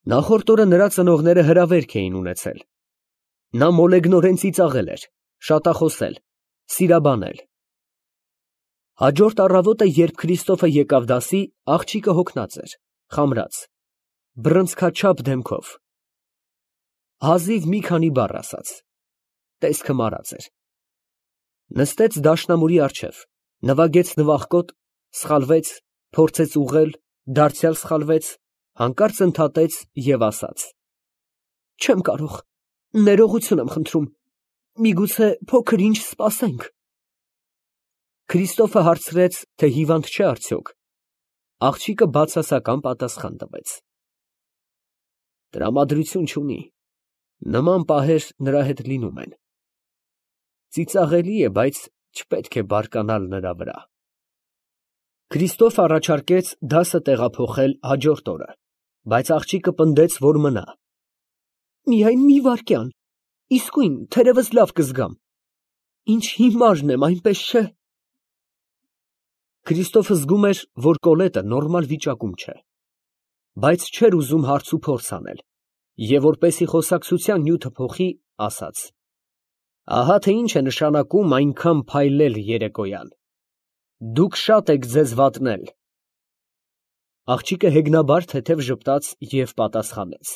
Նախորդ օրը նրա ծնողները հրավերք էին ունեցել։ Նա մոլեգնորեն ծիծաղել էր, շատախոսել, սիրաբանել։ Հաջորդ առավոտը, երբ Քրիստոֆը եկավ դասի, աղջիկը հոգնած էր, խամրած, բռնցքաչափ դեմքով։ Հազիվ մի քանի բառ ասաց, տեսքը մարած էր։ Նստեց դաշնամուրի առջև, նվագեց նվախկոտ, սխալվեց, փորձեց ուղղել, դարձյալ սխալվեց, հանկարծ ընդհատեց և ասաց. «Չեմ կարող, ներողություն եմ խնդրում, միգուցե փոքր ինչ սպասենք»։ Քրիստոֆը հարցրեց, թե հիվանդ չէ արդյոք։ Աղջիկը բացասական պատասխան տվեց. «Տրամադրություն չունի, նման պահեր նրա հետ լինում են։ Ծիծաղելի է, բայց չպետք է բարկանալ նրա վրա»։ Քրիստոֆը առաջարկեց դասը տեղափոխել հաջորդ օրը, բայց աղջիկը պնդեց, որ մնա։ «Միայն մի վայրկյան, իսկույն, թերևս լավ կզգամ։ Ինչ հիմարն եմ, այնպես չէ»։ Քրիստոֆը զգում էր, որ Կոլետը նորմալ վիճակում չէ, բայց չէր ուզում հարցուփորձ անել, և որպեսզի խոսակցության նյութը փոխի, ասաց. «Ահա թե ինչ է նշանակում այնքան փայլել երեկոյան։ Դուք շատ եք ձեզ վատնել»։ Աղջիկը հեգնաբար թեթև ժպտաց և պատասխանեց.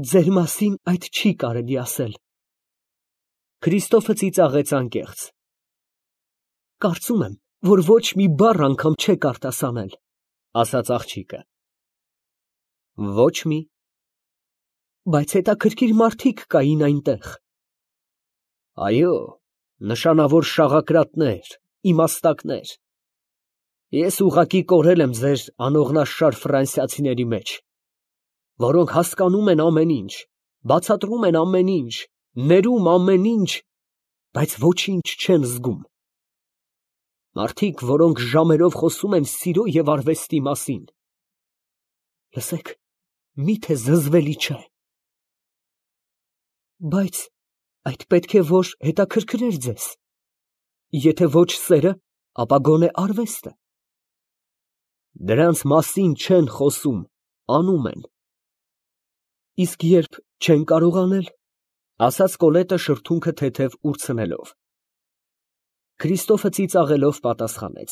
«Ձեր մասին այդ չի կարելի ասել»։ Քրիստոֆը ծիծաղեց անկեղծ. «Կարծում եմ, որ ոչ մի բառ անգամ չեք արտասանել», ասաց աղջիկը։ «Ոչ մի»։ «Բայց հետաքրքիր մարդիկ կային այնտեղ»։ «Այո, նշանավոր շաղակրատներ, իմաստակներ։ Ես ուղղակի կորել եմ ձեր անողնաշար ֆրանսիացիների մեջ, որոնք հասկանում են ամեն ինչ, բացատրում են ամեն ինչ, ներում ամեն ինչ, բայց ոչինչ չեն զգում։ Մարդիկ, որոնք ժամերով խոսում են սիրո և արվեստի մասին։ Լսեք, մի՞թե զզվելի չէ։ Բայց այդ պետք է որ հետաքրքրեր ձեզ։ Եթե ոչ սերը, ապա գոնե արվեստը։ Դրանց մասին չեն խոսում, անում են»։ «Իսկ երբ չեն կարողանել»։ Ասաց Կոլետը շրթունքը թեթև ուրցնելով։ Քրիստոֆը ծիծաղելով պատասխանեց.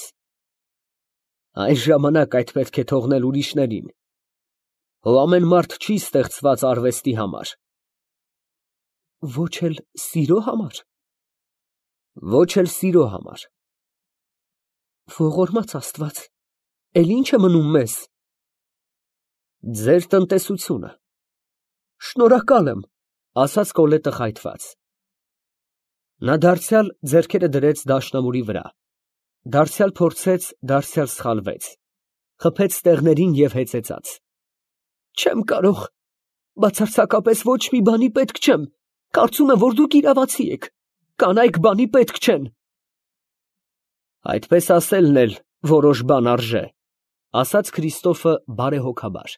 «Այս ժամանակ այդ պետք է թողնել ուրիշներին։ Հո ամեն մարդ չի ստեղծված արվեստի համար»։ «Ոչ էլ սիրո համար»։ «Ոչ էլ սիրո համար»։ «Ողորմած Աստված, էլ ի՞նչ է մնում մեզ»։ «Ձեր տնտեսությունը»։ «Շնորհակալ եմ», ասաց Կոլետը խայթված։ Նա դարձյալ ձեռքերը դրեց դաշնամուրի վրա, դարձյալ փորձեց, դարձյալ սխալվեց, խփեց ստեղներին և հեծեծաց. «Չեմ կարող, բացարձակապես ոչ մի բանի պետք չեմ, կարծում եմ, որ դուք իրավացի եք, կանայք բանի պետք չեն»։ «Այդպես ասելն էլ որոշ բան արժե», ասաց Քրիստոֆը բարեհոգաբար։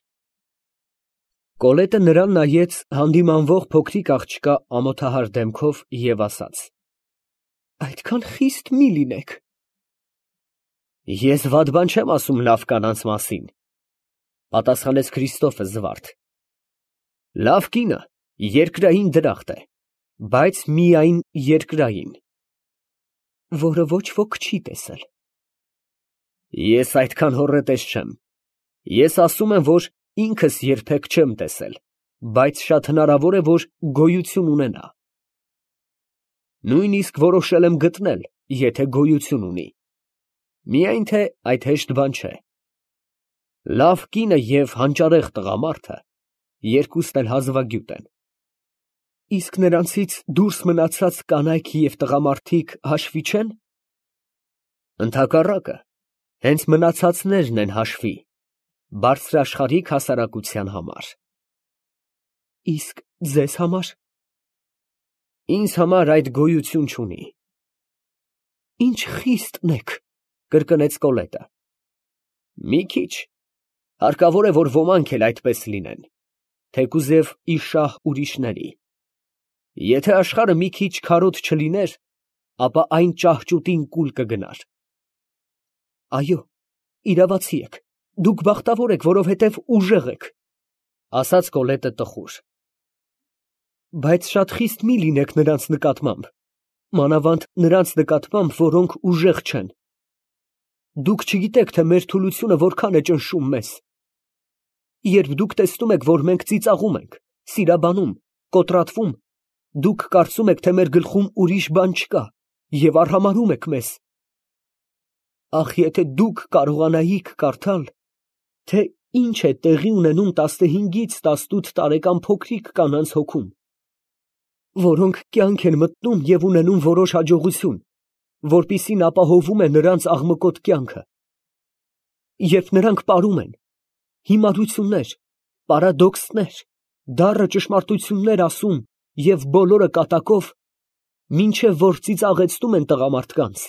Կոլետը նրան նայեց հանդիմանվող փոքրիկ աղջկա ամոթահար դեմքով և ասաց. «Այդքան խիստ մի լինեք»։ «Ես վատ բան չեմ ասում լավ կանանց մասին», պատասխանեց Քրիստոֆը զվարթ։ «Լավ կինը երկրային դրախտ է, բայց միայն երկրային»։ «Որը ոչ ոք չի տեսել»։ «Ես այդքան հոռետես չեմ։ Ես ասում եմ, որ ինքս երբեք չեմ տեսել, բայց շատ հնարավոր է, որ գոյություն ունենա։ Նույնիսկ որոշել եմ գտնել, եթե գոյություն ունի։ Միայն թե այդ հեշտ բան չէ։ Լավ կինը և հանճարեղ տղամարդը երկուսն էլ հազվագյուտ են»։ «Իսկ նրանցից դուրս մնացած կանայք և տղամարդիկ հաշվի չեն»։ «Ընդհակառակը, հենց մնացածներն են հաշվի, բարձրաշխարհիկ հասարակության համար»։ «Իսկ ձեզ համար»։ «Ինձ համար այդ գոյություն չունի»։ «Ինչ խիստն եք», կրկնեց Կոլետը։ «Մի քիչ, հարկավոր է, որ ոմանք էլ այդպես լինեն, թեկուզև ի շահ ուրիշների։ Եթե աշխարհը մի քիչ քարոտ չլիներ, ապա այն ճահճուտին կուլ կգնար»։ «Այո, իրավացի եք, դուք բախտավոր եք, որովհետև ուժեղ եք։ ասաց Կոլետը տխուր։ Բայց շատ խիստ մի լինեք նրանց նկատմամբ, մանավանդ նրանց նկատմամբ, որոնք ուժեղ չեն։ Դուք չգիտեք, թե մեր թուլությունը որքան է ճնշում մեզ։ Երբ դուք տեսնում եք, որ մենք ծիծաղում ենք, սիրաբանում, կոտրատվում, դուք կարծում եք, թե մեր գլխում ուրիշ բան չկա և արհամարհում եք մեզ։ Ախ, եթե դուք կարողանայիք կարդալ, թե ինչ է տեղի ունենում 15-ից 18 տարեկան փոքրիկ կանանց հոգում, որոնք կյանք են մտնում և ունենում որոշ հաջողություն, որպիսին ապահովում է նրանց աղմկոտ կյանքը, երբ նրանք պարում են, հիմարություններ, պարադոքսներ, դառը ճշմարտություններ ասում և բոլորը կատակով, մինչև որ ծիծաղեցնում են տղամարդկանց,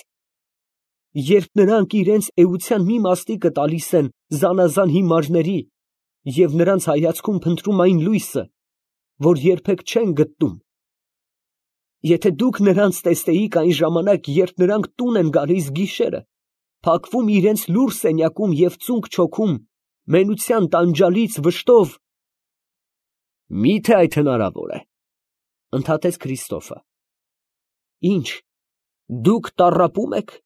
երբ նրանք իրենց էության մի մասնիկը տալիս են զանազան հիմարների և նրանց հայացքում փնտրում այն լույսը, որ երբեք չեն գտնում, եթե դուք նրանց տեսնեիք այն ժամանակ, երբ նրանք տուն են գալիս գիշերը, փակվում իրենց լուռ սենյակում և ծունկ չոքում, մենության տանջալից վշտով, միթե այդ հնարավոր է, ընդհատեց Քրիստոֆը, ինչ, դուք տառապում եք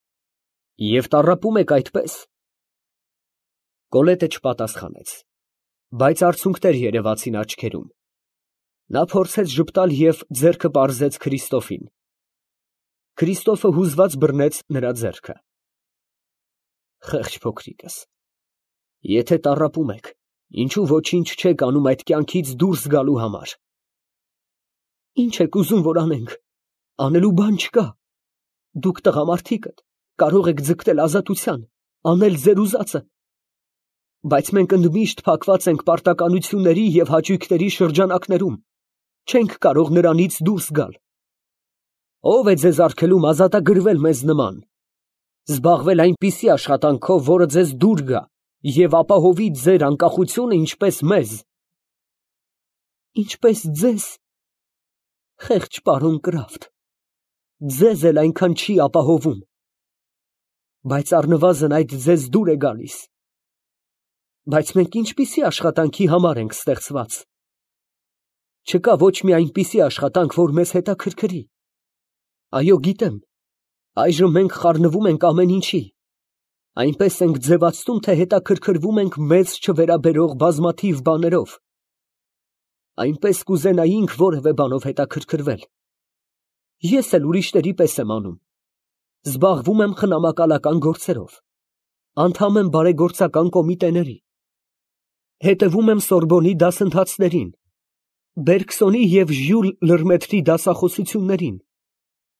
և տառապում եք այդպես։ Կոլետը չպատասխանեց, բայց արցունքներ երևացին աչքերում։ Նա փորձեց ժպտալ և ձեռքը պարզեց Քրիստոֆին։ Քրիստոֆը հուզված բռնեց նրա ձեռքը։ Խեղճ փոքրիկս, եթե տառապում եք, ինչու ոչինչ չեք անում այդ կյանքից դուրս գալու համար։ Ինչ եք ուզում, որ անենք, անելու բան չկա, դուք տղամարդիկդ կարող եք ձգտել ազատության, անել ձեր ուզածը, բայց մենք ընդմիշտ փակված ենք պարտականությունների և հաճույքների շրջանակներում, չենք կարող նրանից դուրս գալ։ Ո՞վ է ձեզ արգելում ազատագրվել մեզ նման, զբաղվել այնպիսի աշխատանքով, որը ձեզ դուր գա և ապահովի ձեր անկախությունը, ինչպես մեզ։ Ինչպես ձեզ, խեղճ պարոն Կրաֆտ, ձեզ էլ այնքան չի ապահովում, բայց առնվազն այդ ձեզ դուր է գալիս։ Բայց մենք ինչպիսի աշխատանքի համար ենք ստեղծված։ Չկա ոչ մի այնպիսի աշխատանք, որ մեզ հետաքրքրի։ Այո, գիտեմ, այժմ մենք խառնվում ենք ամեն ինչի, այնպես ենք ձևացնում, թե հետաքրքրվում ենք մեզ չվերաբերող բազմաթիվ բաներով, այնպես կուզենայինք որևէ բանով հետաքրքրվել։ Ես էլ ուրիշների պես եմ անում, զբաղվում եմ խնամակալական գործերով, անդամ եմ բարեգործական կոմիտեների, հետևում եմ Սորբոնի դասընթացներին, Բերգսոնի և Ժյուլ Լըրմետրի դասախոսություններին,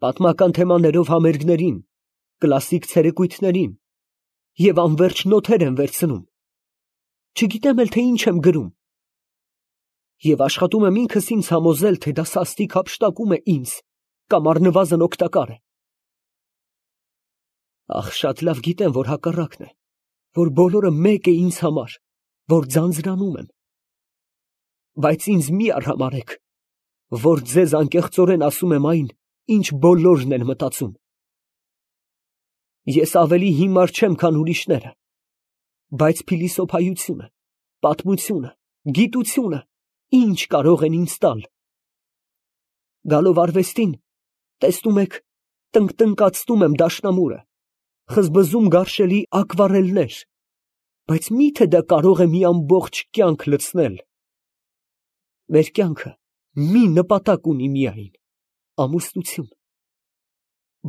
պատմական թեմաներով համերգներին, կլասիկ ցերեկույթներին և անվերջ նոթեր եմ վերցնում, չգիտեմ էլ, թե ինչ եմ գրում, և աշխատում եմ ինքս ինձ համոզել, թե դա սաստիկ հափշտակում է ինձ կամ առնվազն օգտակար է։ Ախ, շատ լավ գիտեմ, որ հակառակն է, որ բոլորը մեկ է ինձ համար, որ ձանձրանում եմ, բայց ինձ մի արհամարհեք, որ ձեզ անկեղծորեն ասում եմ այն, ինչ բոլորն են մտածում։ Ես ավելի հիմար չեմ, քան ուրիշները, բայց փիլիսոփայությունը, պատմությունը, գիտությունը ինչ կարող են ինձ տալ։ Գալով արվեստին, տեսնում եք, տնկտնկացնում եմ դաշնամուրը, խզբզում գարշելի ակվարելներ, բայց մի՞թե դա կարող է մի ամբողջ կյանք լցնել։ Մեր կյանքը մի նպատակ ունի միայն, ամուսնություն։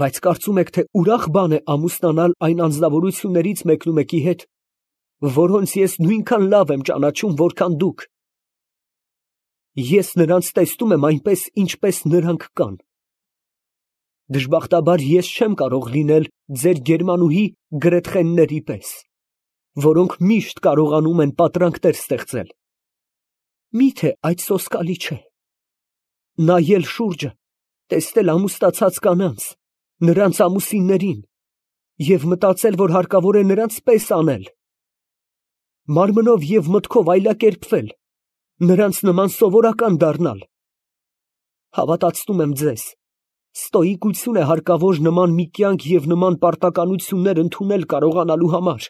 Բայց կարծում եք, թե ուրախ բան է ամուսնանալ այն անձնավորություններից մեկնումեկի հետ, որոնց ես նույնքան լավ եմ ճանաչում, որքան դուք։ Ես նրանց տեսնում եմ այնպես, ինչպես նրանք կան։ Դժբախտաբար ես չեմ կարող լինել ձեր գերմանուհի Գրետխենների պես, որոնք միշտ կարողանում են պատրանքներ ստեղծել։ Մի՞թե այդ սոսկալի չէ։ Նայել շուրջը, տեսնել ամուսնացած կանանց, նրանց ամուսիններին և մտածել, որ հարկավոր է նրանց պես անել, մարմնով և մտքով այլակերպվել, նրանց նման սովորական դառնալ։ Հավատացնում եմ ձեզ, ստոիկություն է հարկավոր նման մի կյանք և նման պարտականություններ ընդունել կարողանալու համար։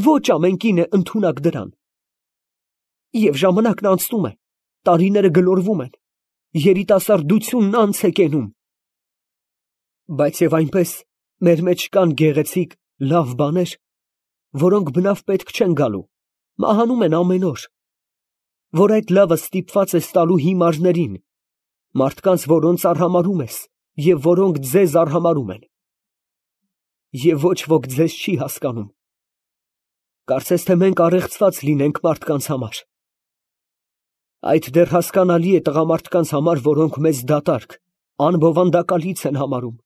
Ոչ ամեն կին է ընդունակ դրան։ Եվ ժամանակն անցնում է, տարիները գլորվում են, երիտասարդությունն անց է կենում։ Բայց եւ այնպես մեր մեջ կան գեղեցիկ, լավ բաներ, որոնք բնավ պետք չեն գալու, մահանում են ամեն օր, որ այդ լավը ստիպված ես տալու հիմարներին, մարդկանց, որոնց արհամարհում ես և որոնք ձեզ արհամարհում են։ Եվ ոչ ոք ձեզ չի հասկանում։ Կարծես թե մենք առեղծված լինենք մարդկանց համար։ Այդ դեռ հասկանալի է տղամարդկանց համար, որոնք մեզ դատարկ, անբովանդակալից են համարում։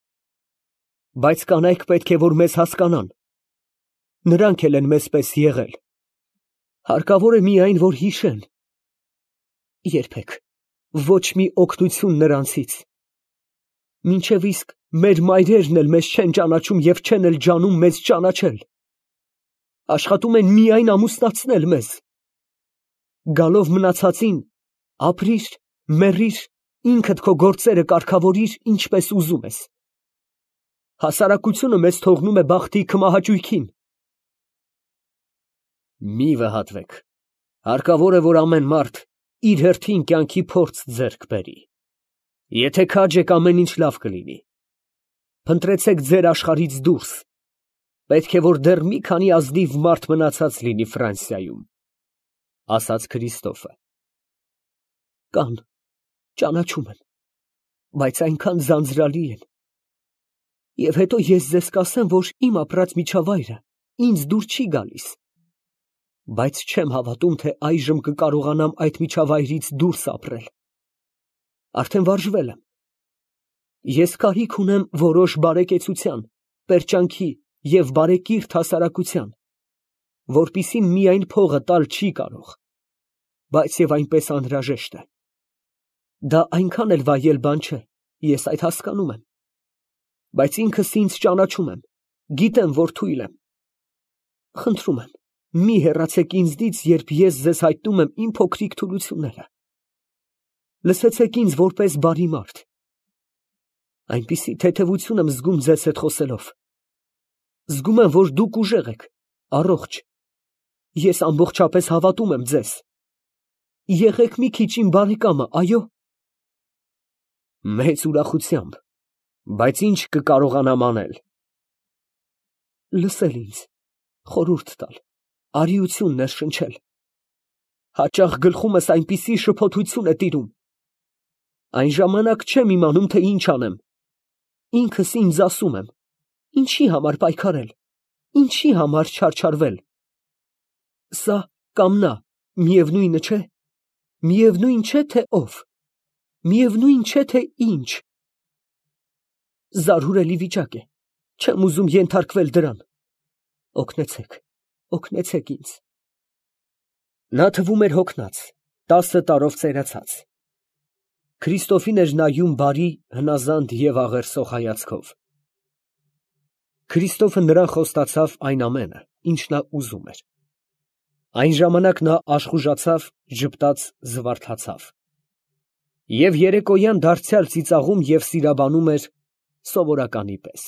Բայց կանայք պետք է, որ մեզ հասկանան։ Նրանք էլ են մեզպես եղել։ Հարկավոր է միայն, որ հիշեն։ Երբեք ոչ մի օգնություն նրանցից։ Մինչև իսկ մեր մայրերն էլ մեզ չեն ճանաչում և չեն էլ ջանում մեզ ճանաչել։ Աշխատում են միայն ամուսնացնել մեզ։ Գալով մնացածին, ապրիր, մեռիր, ինքդ քո գործերը կարգավորիր, ինչպես ուզում ես։ Հասարակությունը մեզ թողնում է բախտի քմահաճույքին։ Մի վհատվեք։ Հարկավոր է, որ ամեն մարդ իր հերթին կյանքի փորձ ձեռք բերի։ Եթե քաջ եք, ամեն ինչ լավ կլինի։ Փնտրեցեք ձեր աշխարհից դուրս։ Պետք է, որ դեռ մի քանի ազնիվ մարդ մնացած լինի Ֆրանսիայում, ասաց Քրիստոֆը։ Կան, ճանաչում են, բայց այնքան ձանձրալի են։ Եվ հետո ես ձեզ կասեմ, որ իմ ապրած միջավայրը ինձ դուր չի գալիս։ Բայց չեմ հավատում, թե այժմ կկարողանամ այդ միջավայրից դուրս ապրել։ Արդեն վարժվել եմ։ Ես կարիք ունեմ որոշ բարեկեցության, պերճանքի և բարեկիրթ հասարակության, որպիսին միայն փողը տալ չի կարող, բայց և այնպես անհրաժեշտ է։ Դա այնքան էլ վայել բան չէ, ես այդ հասկանում եմ։ Բայց ինքս ինձ ճանաչում եմ, գիտեմ, որ թույլ եմ։ Խնդրում եմ, մի հեռացեք ինձնից, երբ ես ձեզ հայտնում եմ իմ փոքրիկ թուլությունները։ Լսեցեք ինձ որպես բարի մարդ։ Այնպիսի թեթևություն եմ զգում ձեզ հետ խոսելով։ Զգում եմ, որ դուք ուժեղ եք, առողջ։ Ես ամբողջապես հավատում եմ ձեզ։ Եղեք մի քիչ իմ բարեկամը, այո։ Մեծ ուրախությամբ, բայց ինչ կկարողանամ անել։ Լսել ինձ, խորհուրդ տալ, արիություն ներշնչել։ Հաճախ գլխումս այնպիսի շփոթություն է տիրում։ Այն ժամանակ չեմ իմանում, թե ինչ անեմ։ Ինքս ինձ ասում եմ. ինչի համար պայքարել, ինչի համար չարչարվել։ Սա կամ նա, միևնույնը չէ։ Միևնույն չէ, թե ով։ Միևնույն չէ, թե ինչ։ Զարհուրելի վիճակ է։ Չեմ ուզում ենթարկվել դրան։ Օգնեցեք, օգնեցեք ինձ։ Նա թվում էր հոգնած, 10 տարով ծերացած։ Քրիստոֆին էր նայում բարի, հնազանդ և աղերսող հայացքով։ Քրիստոֆը նրան խոստացավ այն ամենը, ինչ նա ուզում էր։ Այն ժամանակ նա աշխուժացավ, ժպտաց, զվարթացավ։ Եվ երեկոյան դարձյալ ծիծաղում և սիրաբանում էր սովորականի պես։